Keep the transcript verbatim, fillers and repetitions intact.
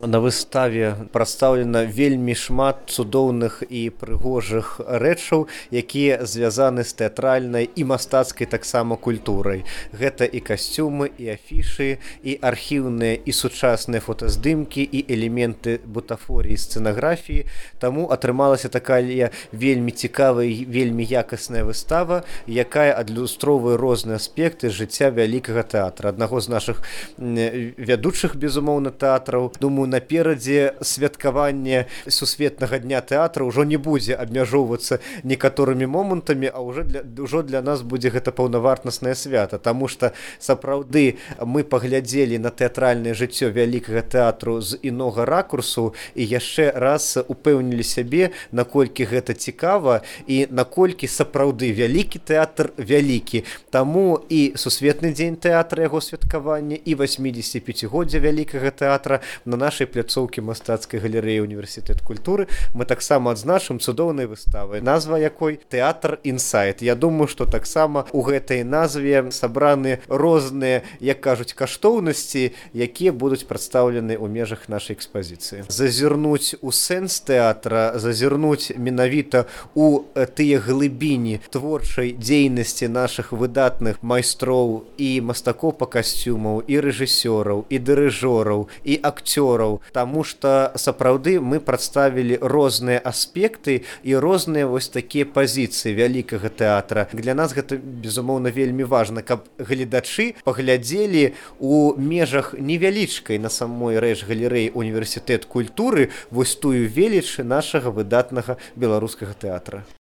На выставе прадстаўлена вельмі шмат цудоўных і прыгожых рэчаў, якія звязаны з тэатральнай і мастацкай таксама культурай. Гэта і касцюмы, і афішы, і архіўныя і сучасныя фотаздымкі, і элементы бутафоріі, сцэнаграфіі. Таму атрымалася такая вельмі цікавая і вельмі якасная выстава, якая адлюстроўвае розныя аспекты жыцця вялікага тэатра. Аднаго з нашых вядучых, безумоўна, тэатраў. Думаю, наперадзе святкаванне сусветнага дня тэатра ўжо не будзе абмяжоўвацца некаторымі момантамі, а ўжо для, ўжо для нас будзе гэта паўнавартаснае свята, таму што сапраўды мы паглядзелі на тэатральнае жыццё вялікага тэатру з інога ракурсу і яшчэ раз упэўнілі сябе, наколькі гэта цікава і наколькі сапраўды вялікі тэатр вялікі. Таму і сусветны дзень тэатра, яго святкавання, і васьмідзесяціпяцігоддзе вялікага тэатра на нашай пляцоўкі мастацкай галерэі універсітэт культуры мы таксама адзначым цудоўнай выставай, назва якой тэатр інсайт. Я думаю, што таксама у гэтай назве сабраны розныя, як кажуць, каштоўнасці, якія будуць прадстаўлены ў межах нашай экспазіцыі. Зазірнуць у сэнс тэатра, зазірнуць менавіта у тыя глыбіні творчай дзейнасці нашых выдатных майстроў і мастакоў па касцюмаў, і рэжысёраў, і дырыжораў, і акцёраў, таму што сапраўды мы прадставілі розныя аспекты і розныя вось такія пазіцыі вялікага тэатра. Для нас гэта, безумоўна, вельмі важна, каб гледачы паглядзелі у межах невялічкай на самой рэч галерэі універсітэт культуры вось тую веліч нашага выдатнага беларускага тэатра.